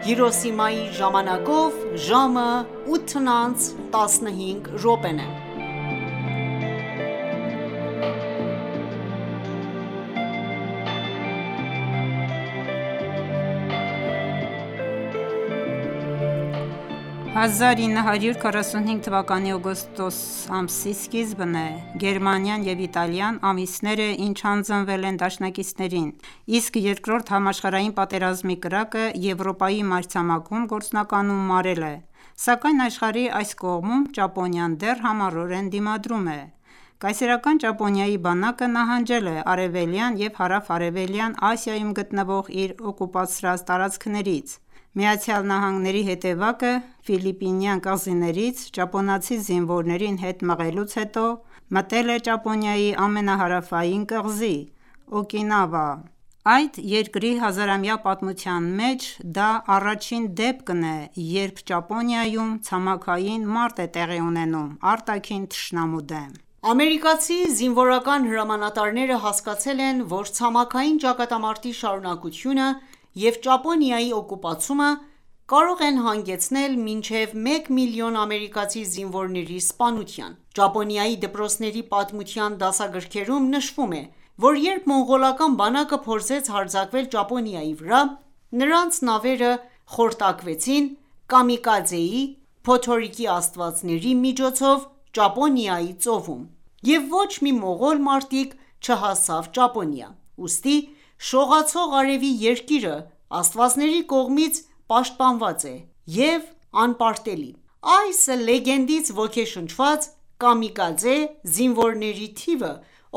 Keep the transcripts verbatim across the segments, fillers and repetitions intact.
Հիրոսիմայի ժամանակով ժամը ութն անց տասնհինգ րոպեն է։ հազար ինը հարյուր քառասունհինգ թվականի օգոստոս ամսի սկիզբն է, Գերմանիան և Իտալիան ամիսներ է ինչ հանձնվել են դաշնակիցներին, իսկ Երկրորդ համաշխարհային պատերազմի կրակը Եվրոպայի մայրցամաքում գործնականում մարել է, սակայն աշխարհի այս կողմում Ճապոնիան դեռ համառորեն դիմադրում է: Կայսերական Ճապոնիայի բանակը նահանջել է Արևելյան և Հարավ-արևելյան Ասիայում գտնվող իր օկուպացրած տարածքներից: ԱՄՆ-ի հետևակը Ֆիլիպինյան կղզիներից ճապոնացի զինվորներին հետ մղելուց հետո մտել է Ճապոնիայի ամենահարավային կղզի Օկինավա: Այդ երկրի հազարամյա պատմության մեջ դա առաջին դեպքն է, երբ Ճապոնիայում ցամաքային մարտ է տեղի ունենում արտաքին թշնամու դեմ: Ամերիկացի զինվորական հրամանատարները հասկացել են, որ ցամաքային ճակատամարտի շարունակությունը և Ճապոնիայի օկուպացումը կարող են հանգեցնել մինչև մեկ միլիոն ամերիկացի զինվորների սպանության: Ճապոնիայի դպրոցների պատմության դասագրքերում նշվում է, որ երբ մոնղոլական բանակը փորձեց հարձակվել Ճապոնիայի վրա, նրանց նավերը խորտակվեցին Կամիկաձեի (փոթորիկի աստվածների) միջոցով Ճապոնիայի ծովում, և ոչ մի մողոլ մարտիկ չհասավ Ճապոնիա: Ուստի շողացող արևի երկիրը աստվածների կողմից պաշտպանված է և անպարտելի: Այս լեգենդից ոգեշնչված, կամիկաձե զինվորների թիվը,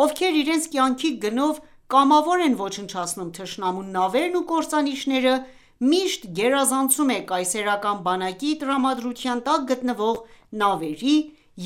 ովքեր իրենց կյանքի գնով կամավոր են ոչնչացնում թշնամու նավերն ու կործանիչները, միշտ գերազանցում է կայսերական բանակի տրամադրության տակ գտնվող նավերի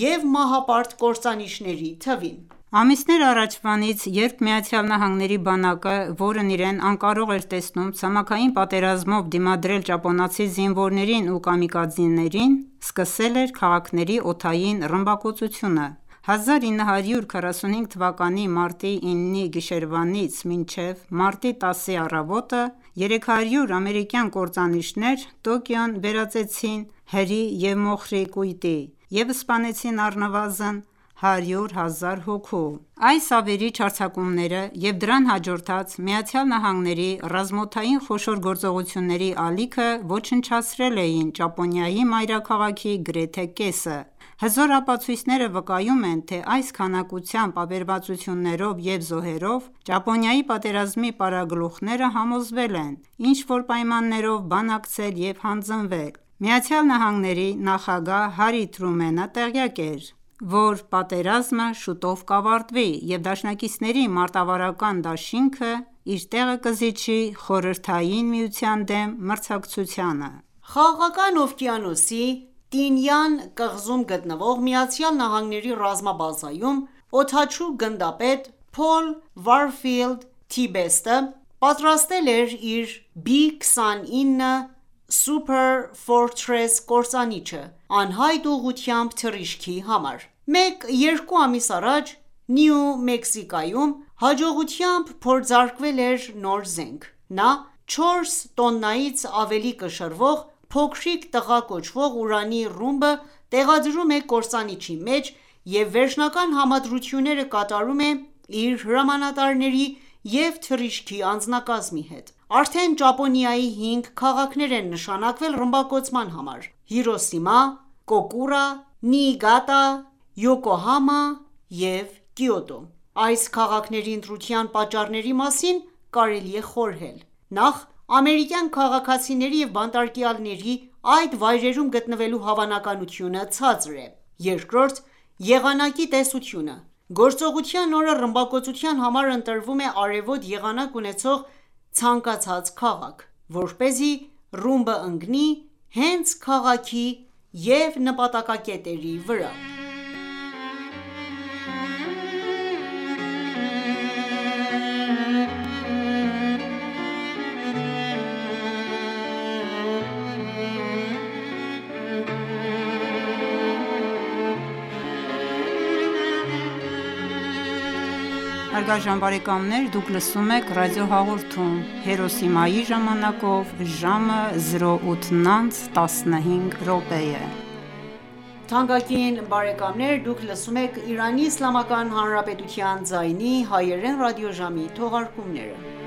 և մահապարտ կործանիչների թվին: Ամիսներ առաջվանից, երբ ԱՄՆ-ի բանակը, որն իրեն անկարող էր տեսնում ցամաքային պատերազմով դիմադրել ճապոնացի զինվորներին ու կամիկաձեներին, սկսել էր քաղաքների օդային ռմբակոծությունը: հազար ինը հարյուր քառասունհինգ թվականի մարտի ինը գիշերվանից մինչև մարտի տասի առավոտը երեք հարյուր ամերիկյան կործանիչներ Տոկիոն վերածեցին հրի և մոխրի կույտի և սպանեցին առնվազն հարյուր հազար հոգու: Այս ավերիչ հարձակումները և դրան հաջորդած ԱՄՆ-ի ռազմաօդային խոշոր գործողությունների ալիքը ոչնչացրել էին Ճապոնիայի մայրաքաղաքի գրեթե կեսը: Հզոր ապացույցները վկայում են, թե այս քանակությամբ ավերածություններով և զոհերով Ճապոնիայի պատերազմի պարագլուխները համոզվել են ինչ-որ պայմաններով բանակցել և հանձնվել: ԱՄՆ նախագահ Հարի Թրումենը տեղյակ էր, որ պատերազմը շուտով կավարտվի և դաշնակիցների մարտավարական դաշինքը իր տեղը կզիջի Խորհրդային Միության դեմ մրցակցությանը: Խաղաղական օվկիանոսի Տինյան կղզում գտնվող ԱՄՆ ռազմաբազայում օդաչու գնդապետ Փոլ Վարֆիլդ Թի-Բեստը պատրաստել էր իր բի քսանինը Super Fortress կործանիչը անհայտ ուղղությամբ թռիչքի համար: Մեկ-երկու ամիս առաջ Նյու Մեքսիկոյում հաջողությամբ փորձարկվել էր նոր զենք: Նա չորս տոննայից ավելի կշռող փոքրիկ տղա կոչվող ուրանի ռումբը տեղադրում է կործանիչի մեջ և վերջնական համադրությունները կատարում է իր հրամանատարների և թռիչքի անձնակազմի հետ: Արդեն Ճապոնիայի հինգ քաղաքներ են նշանակվել ռմբակոծման համար՝ Հիրոսիմա, Կոկուրա, Նիիգատա, Յոկոհամա և Կիոտո: Այս քաղաքների ընտրության պատճառների մասին կարելի է խորհել: Նախ՝ ամերիկյան քաղաքացիների և բանտարկյալների այդ վայրերում գտնվելու հավանականությունը ցածր է: Երկրորդ՝ եղանակի տեսությունը: Գործողության օրը ռմբակոծության համար ընտրվում է արևոտ եղանակ ունեցող ցանկացած քաղաք, որպեսզի ռումբը ընկնի հենց քաղաքի և նպատակակետերի վրա: հարգարժան բարեկամներ, դուք լսում եք ռադիոհաղորդում Հիրոսիմայի ժամանակով ժամը զրո ութ տասնհինգ րոպե է։ Թանկագին բարեկամներ, դուք լսում եք Իրանի Իսլամական Հանրապետության ձայնի հայերեն ռադիոժամի թողարկումները։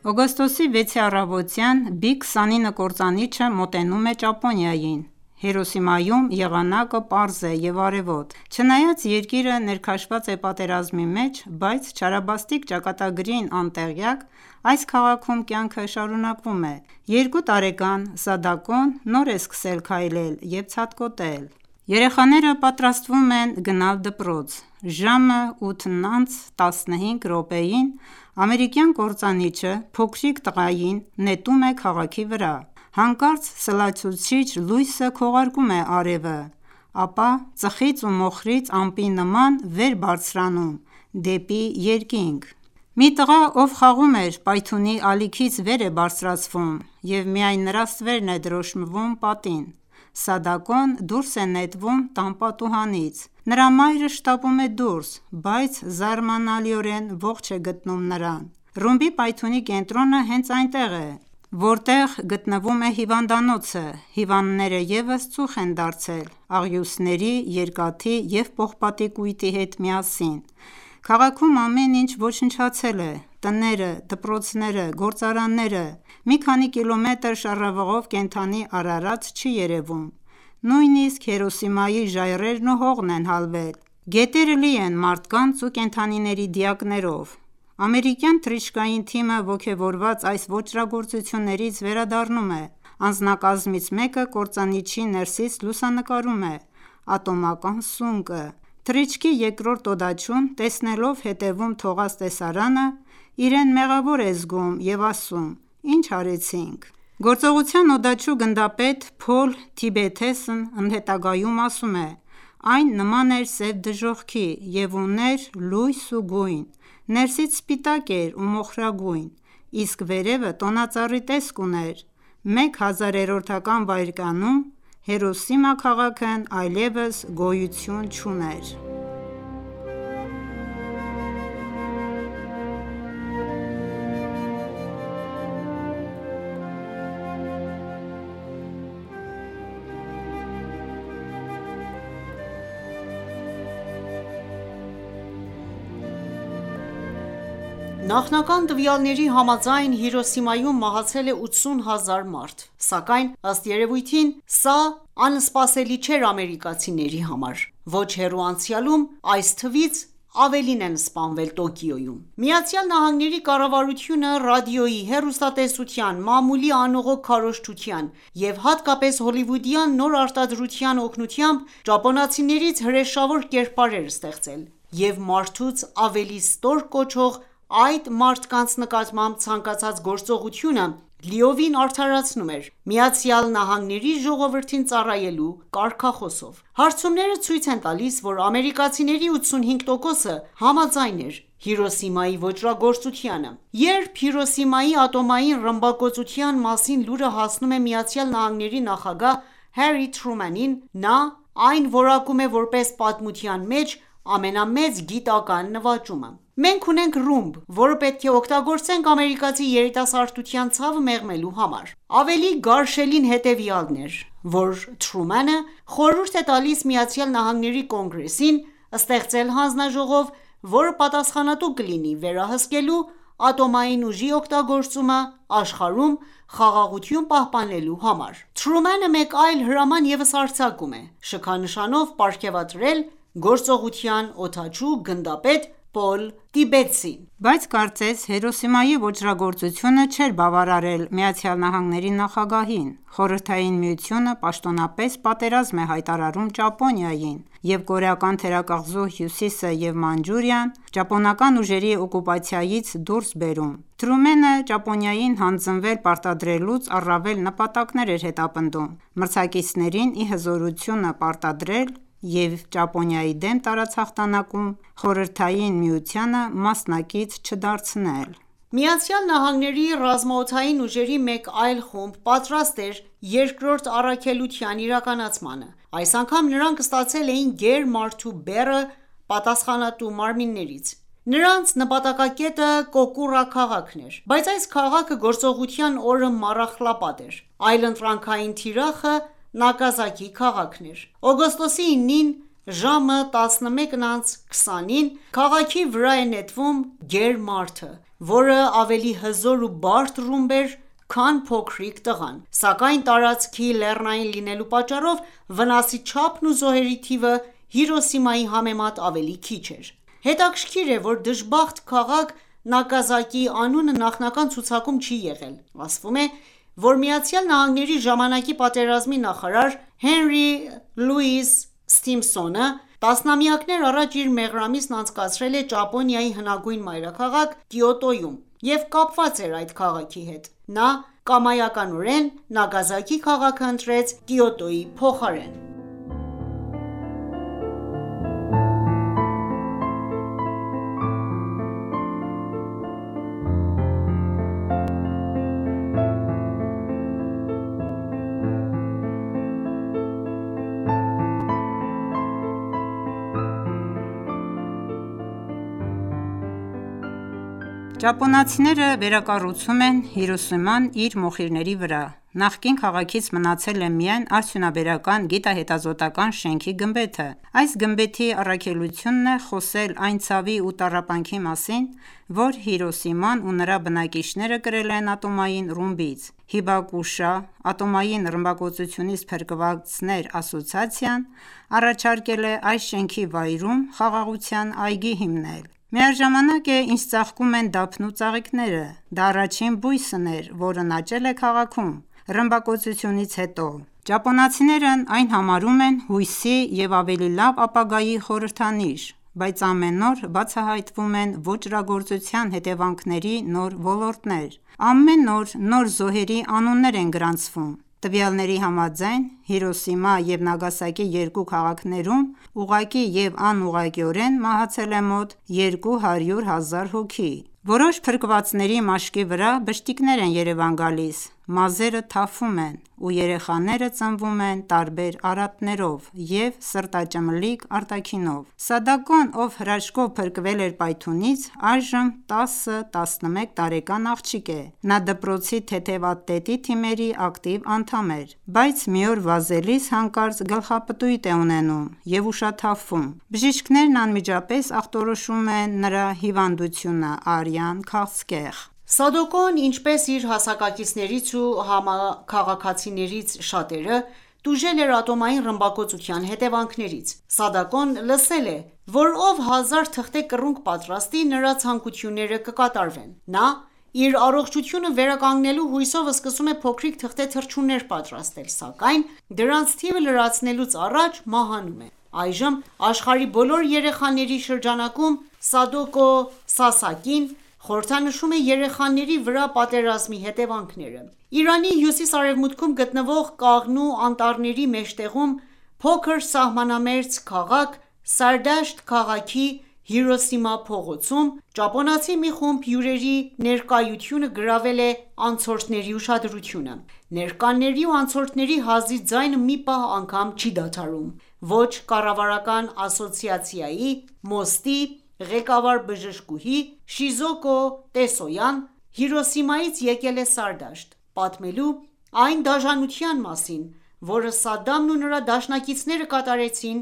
Օգոստոսի վեցի առավոտյան բի քսանինը կործանիչը մոտենում է Ճապոնիային։ Հիրոսիմայում եղանակը պարզ է և արևոտ։ Չնայած երկիրը ներքաշված է պատերազմի մեջ, բայց չարաբաստիկ ճակատագրին անտեղյակ, այս քաղաքում կյանքը շարունակվում է։ Երկու տարեկան Սադակոն նոր է սկսել քայլել և ցատկոտել։ Երեխաները պատրաստվում են գնալ դպրոց։ Ժամը ութ տասնհինգ րոպեին ամերիկյան կործանիչը փոքրիկ տղային նետում է քաղաքի վրա։ Հանկարծ սլացուցիչ լույսը քողարկում է արևը, ապա ծխից ու մոխրից ամպի նման վեր բարձրանում դեպի երկինք։ Մի տղա, ով խաղում էր պայթյունի ալիքից վեր է բարձրացվում և միայն նրա ստվերն է դրոշմվում պատին։ Սադակոն դուրս է նետվում տան պատուհանից։ Նրա մայրը շտապում է դուրս, բայց զարմանալիորեն ողջ է գտնում նրան։ Ռումբի պայթյունի կենտրոնը հենց այնտեղ է, որտեղ գտնվում է հիվանդանոցը։ Հիվանդները ևս ծուխ են դարձել աղյուսների, երկաթի և պողպատի կույտի հետ միասին։ Քաղաքում ամեն ինչ ոչնչացել է՝ տները, դպրոցները, գործարանները։ Մի քանի կիլոմետր շառավղով կենդանի արարած չի երևում։ Նույնիսկ Հիրոսիմայի ժայռերն ու հողն են հալվել։ Գետերը լի են մարդկանց ու կենդանիների դիակներով։ Ամերիկյան թռիչքային թիմը ոգևորված այս ոճրագործություններից վերադառնում է։ Անձնակազմից մեկը կործանիչի ներսից լուսանկարում է ատոմական սունկը։ Թռիչքի երկրորդ օդաչուն, տեսնելով հետևում թողած տեսարանը, իրեն մեղավոր է զգում և ասում. «Ինչ արեցինք»։ Գործողության օդաչու գնդապետ Փոլ Թիբեթեսն ընդհետագայում ասում է. «Այն նման էր սև դժոխքի և ուներ լույս ու գույն, ներսից սպիտակ էր ու մոխրագույն, իսկ վերևը տոնածառի տեսք ուներ։ Մեկ հազարերորդական վայրկյանում Հիրոսիմա քաղաքն այլևս գոյություն չուներ»։ Նախնական տվյալների համաձայն Հիրոսիմայում մահացել է ութսուն հազար մարդ, սակայն ըստ երևույթին սա անսպասելի չէր ամերիկացիների համար։ Ոչ հեռու անցյալում այս թվից ավելին են սպանվել Տոկիոյում։ ԱՄՆ-ի կառավարությունը ռադիոյի, հեռուստատեսության, մամուլի անողոք քարոզչության և հատկապես հոլիվուդյան նոր արտադրության օգնությամբ ճապոնացիներից հրեշավոր կերպար էր ստեղծել և մարդուց ավելի ստոր կոչող այդ մարդկանց նկատմամբ ցանկացած գործողությունը լիովին արդարացնում էր «Միացյալ Նահանգների ժողովրդին ծառայելու» կարգախոսով։ Հարցումները ցույց են տալիս, որ ամերիկացիների ութսունհինգ տոկոսը համաձայն էր Հիրոսիմայի ոճրագործությանը։ Երբ Հիրոսիմայի ատոմային ռմբակոծության մասին լուրը հասնում է ԱՄՆ նախագահ Հարի Թրումանին, նա այն որակում է որպես պատմության մեջ ամենամեծ գիտական նվաճումը։ «Մենք ունենք ռումբ, որը պետք է օգտագործենք ամերիկացի երիտասարդության ցավը մեղմելու համար»։ Ավելի գարշելին հետևյալն էր, որ Թրումանը խորհուրդ է տալիս ԱՄՆ Կոնգրեսին ստեղծել հանձնաժողով, որը պատասխանատու կլինի վերահսկելու ատոմային ուժի օգտագործումը աշխարհում խաղաղություն պահպանելու համար։ Թրումանը մեկ այլ հրաման ևս արձակում է՝ շքանշանով պարգևատրել գործողության օդաչու գնդապետ Պոլ Տիբեթսին։ Բայց կարծես Հիրոսիմայի ոճրագործությունը չէր բավարարել ԱՄՆ նախագահին։ Խորհրդային Միությունը պաշտոնապես պատերազմ է հայտարարում Ճապոնիային, և կորեական թերակղզու հյուսիսը և Մանջուրիան ճապոնական ուժերի օկուպացիայից դուրս բերում։ Թրումենը Ճապոնիային հանձնվել պարտադրելուց առավել նպատակներ էր հետապնդում՝ մրցակիցներին ի հզորությունը պարտադրել և Ճապոնիայի դեմ տարած հաղթանակում Խորհրդային Միությանը մասնակից չդարձնել։ ԱՄՆ ռազմաօդային ուժերի մեկ այլ խումբ պատրաստ էր երկրորդ առաքելության իրականացմանը։ Այս անգամ նրանք ստացել էին գեր-մարդու բեռը պատասխանատու մարմիններից։ Նրանց նպատակակետը Կոկուրա քաղաքն էր, բայց այս քաղաքը գործողության օրը մառախլապատ էր։ Այլընտրանքային թիրախը Նագասակի քաղաքն էր։ Օգոստոսի իննին ժամը տասնմեկն անց քսանին քաղաքի վրա է նետվում գեր-մարդը, որը ավելի հզոր ու բարդ ռումբ էր, քան փոքրիկ տղան, սակայն տարածքի լեռնային լինելու պատճառով վնասի չափն ու զոհերի թիվը Հիրոսիմայի համեմատ ավելի քիչ էր։ Հետաքրքիր է, որ դժբախտ քաղաք Նագասակի անունը նախնական ցուցակում չի եղել։ Ասվում է, որ ԱՄՆ-ի ժամանակի պատերազմի նախարար Հենրի Լուիս Սթիմփսոնը տասնամյակներ առաջ իր մեղրամիսն անցկացրել է Ճապոնիայի հնագույն մայրաքաղաք Կիոտոյում և կապված էր այդ քաղաքի հետ։ Նա կամայականորեն Նագասակի քաղաքը ընտրեց Կիոտոյի փոխարեն։ Ճապոնացիները վերակառուցում են Հիրոսիման իր մոխիրների վրա։ Նախկին քաղաքից մնացել է միայն արդյունաբերական գիտահետազոտական շենքի գմբեթը։ Այս գմբեթի առաքելությունն է խոսել այն ցավի ու տառապանքի մասին, որ Հիրոսիման ու նրա բնակիչները կրել են ատոմային ռումբից։ Հիբակուշա Ատոմային ռմբակոծությունից փրկվածներ ասոցիացիան առաջարկել է այս շենքի վայրում խաղաղության այգի հիմնել։ Միաժամանակ է, ինչ ծաղկում են դափն ու ծաղիկները։ Դա առաջին բույսն էր, որն աճել է քաղաքում ռմբակոծությունից հետո։ Ճապոնացիներն այն համարում են հույսի և ավելի լավ ապագայի խորհրդանիշ, բայց ամեն օր բացահայտվում են ոճրագործության հետևանքների նոր ոլորտներ։ Ամեն օր նոր զոհերի անուններ են գրանցվում։ Տվյալների համաձայն, Հիրոսիմա և Նագասակի երկու քաղաքներում ուղղակի և անուղղակիորեն մահացել է մոտ երկու հարյուր հազար հոգի։ Որոշ փրկվածների մաշկի վրա բշտիկներ են երևան գալիս, մազերը թափվում են, ու երեխաները ծնվում են տարբեր արատներով և սրտաճմլիկ արտաքինով։ Սադակոն, ով հրաշքով փրկվել էր պայթյունից, այժմ տասը տասնմեկ տարեկան աղջիկ է։ Նա դպրոցի թեթևատետի թիմերի ակտիվ անդամ էր, բայց մի օր վազելիս հանկարծ գլխապտույտ է ունենում և ուշաթափվում։ Բժիշկներն անմիջապես ախտորոշում են նրա հիվանդությունը՝ արյան քաղցկեղ։ Սադոկոն, ինչպես իր հասակակիցներից ու համաքաղաքացիներից շատերը, տուժել էր ատոմային ռմբակոծության հետևանքներից։ Սադոկոն լսել է, որ ով հազար թղթե կռունկ պատրաստի, նրա ցանկությունները կկատարվեն։ Նա իր առողջությունը վերականգնելու հույսով սկսում է փոքրիկ թղթե թռչուններ պատրաստել, սակայն դրանց թիվը լրացնելուց առաջ մահանում է։ Այժմ աշխարհի բոլոր երեխաների շրջանակում Սադոկո Սասակին խորհրդանշում է երեխաների վրա պատերազմի հետևանքները։ Իրանի հյուսիս-արևմուտքում գտնվող Կաղնու անտառների մեջտեղում փոքր սահմանամերձ քաղաք Սարդաշտ քաղաքի Հիրոսիմա փողոցում ճապոնացի մի խումբ հյուրերի ներկայությունը գրավել է անցորդների ուշադրությունը։ Ներկաների ու անցորդների հազիվ ձայնը մի պահ անգամ չի դադարում։ Ոչ կառավարական ասոցիացիայի (մոստի) ղեկավար բժշկուհի Շիզոկո Տեսոյան Հիրոսիմայից եկել է Սարդաշտ՝ պատմելու այն դաժանության մասին, որը Սադամն ու նրա դաշնակիցները կատարեցին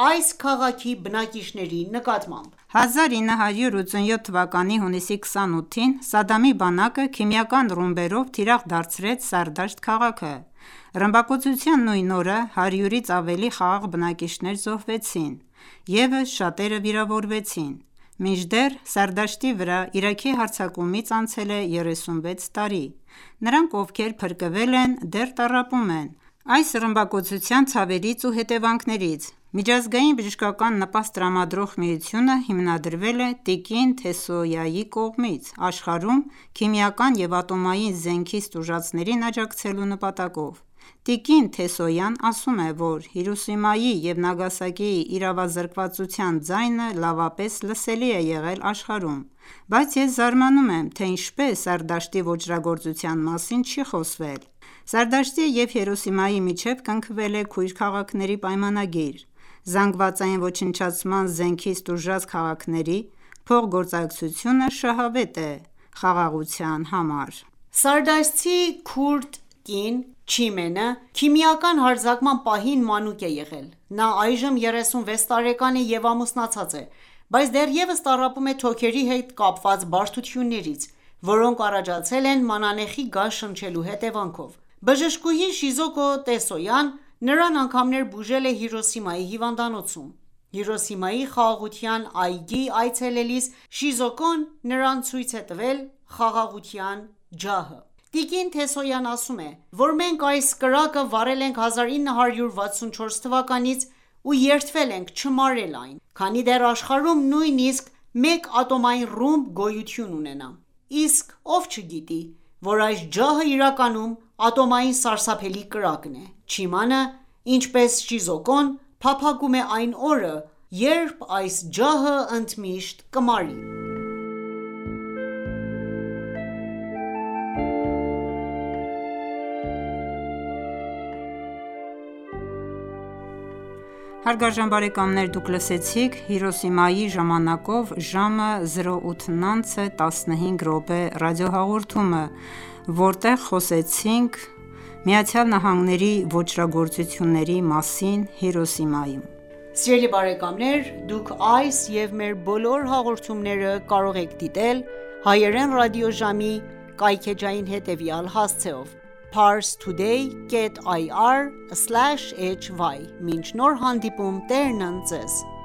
այս քաղաքի բնակիչների նկատմամբ։ հազար ինը հարյուր ութսունյոթ թվականի հունիսի քսանութին Սադամի բանակը քիմիական ռումբերով թիրախ դարձրեց Սարդաշտ քաղաքը։ Ռմբակոծության նույն օրը հարյուրից ավելի խաղաղ բնակիչներ զոհվեցին, ևս շատերը վիրավորվեցին։ Մինչդեռ Սարդաշտի վրա Իրաքի հարձակումից անցել է երեսունվեց տարի։ Նրանք, ովքեր փրկվել են, դեռ տառապում են այս ռմբակոծության ցավերից ու հետևանքներից։ Միջազգային բժշկական նպաստ տրամադրող միությունը հիմնադրվել է տիկին Թեսոյայի կողմից՝ աշխարհում քիմիական և ատոմային զենքի ստուժածներին աջակցելու նպատակով։ Տիկին Թեսոյան ասում է, որ Հիրոսիմայի և Նագասակիի իրավազրկվածության ձայնը լավապես լսելի է եղել աշխարհում, բայց ես զարմանում եմ, թե ինչպես Սարդաշտի ոճրագործության մասին չի խոսվել: Սարդաշտի և Հիրոսիմայի միջև կնքվել է քույր քաղաքների պայմանագիր: Զանգվածային ոչնչացման զենքից տուժած քաղաքների փոխգործակցությունը շահավետ է խաղաղության համար: Սարդաշտցի քուրդ կին Չիմենը քիմիական հարձակման պահին մանուկ է եղել: Նա այժմ երեսունվեց տարեկան է և ամուսնացած է, բայց դեռևս տառապում է թոքերի հետ կապված բարդություններից, որոնք առաջացել են մանանեխի գազ շնչելու հետևանքով: Բժշկուհի Շիզոկո Տեսոյան նրան անգամներ բուժել է Հիրոսիմայի հիվանդանոցում: Հիրոսիմայի խաղաղության այգի այցելելիս Շիզոկոն նրան ցույց է տվել խաղաղության ջահը: Տիկին Թեսոյան ասում է, որ մենք այս կրակը վառել ենք հազար ինը հարյուր վաթսունչորս թվականից ու երդվել ենք չմարել այն, քանի դեռ աշխարհում նույնիսկ մեկ ատոմային ռումբ գոյություն ունենա: Իսկ ով չգիտի, որ այս ջահը իրականում ատոմային սարսափելի կրակն է: Չիմանը, ինչպես Շիզոկոն, փափագում է այն օրը, երբ այս ջահը ընդմիշտ կմարի: Հիրոսիմայի ժամանակով ժամը զրո ութն անց է տասնհինգ րոպե ռադիոհաղորդումը, որտեղ խոսեցինք ԱՄՆ-ի ոճրագործությունների մասին Հիրոսիմայում: Սիրելի բարեկամներ դուք այս և մեր բոլոր հաղորդումները կարող եք դիտել հայերեն ռադիոժամի կայքէջային հետևյալ հասցեով՝ Parstoday կետ այ առ սլաշ էյչ վայ: Մինչ նոր հանդիպում Տերն ընդ Ձեզ: